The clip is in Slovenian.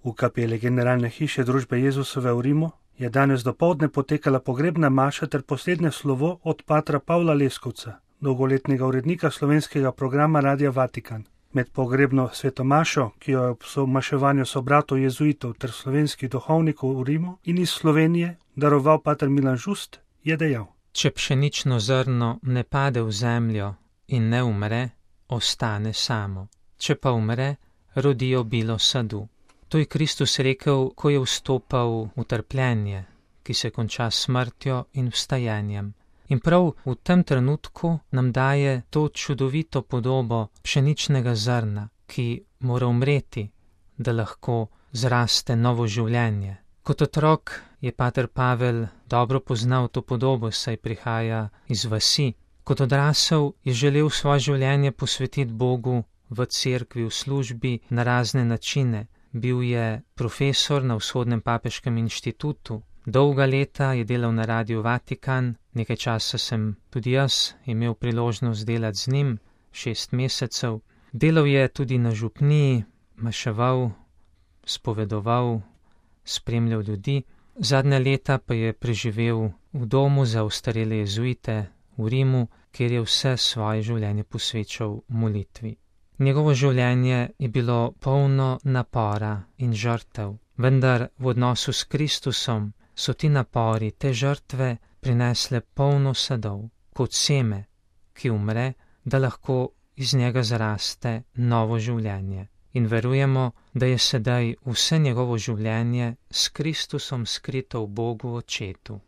V kapeli Generalne hiše družbe Jezusove v Rimu je danes dopoldne potekala pogrebna maša ter poslednje slovo od patra Pavla Leskovca, dolgoletnega urednika slovenskega programa Radia Vatikan. Med pogrebno svetomašo, ki jo je ob somaševanju sobratov jezuitov ter slovenskih duhovnikov v Rimu in iz Slovenije daroval pater Milan Žust, je dejal: Če pšenično zrno ne pade v zemljo in ne umre, ostane samo. Če pa umre, rodi obilo sadu. To je Kristus rekel, ko je vstopal v trpljenje, ki se konča s smrtjo in vstajenjem. In prav v tem trenutku nam daje to čudovito podobo pšeničnega zrna, ki mora umreti, da lahko zraste novo življenje. Kot otrok je pater Pavel dobro poznal to podobo, saj prihaja iz vasi. Kot odrasel je želel svoje življenje posvetiti Bogu v cerkvi, v službi na razne načine. Bil je profesor na Vzhodnem papeškem inštitutu. Dolga leta je delal na Radiu Vatikan, nekaj časa sem tudi jaz imel priložnost delati z njim, 6 mesecev. Delal je tudi na župniji, maševal, spovedoval, spremljal ljudi. Zadnja leta pa je preživel v domu za ostarele jezuite v Rimu, kjer je vse svoje življenje posvečal molitvi. Njegovo življenje je bilo polno napora in žrtev, vendar v odnosu s Kristusom so ti napori, te žrtve prinesle polno sadov, kot seme, ki umre, da lahko iz njega zraste novo življenje. In verujemo, da je sedaj vse njegovo življenje s Kristusom skrito v Bogu Očetu.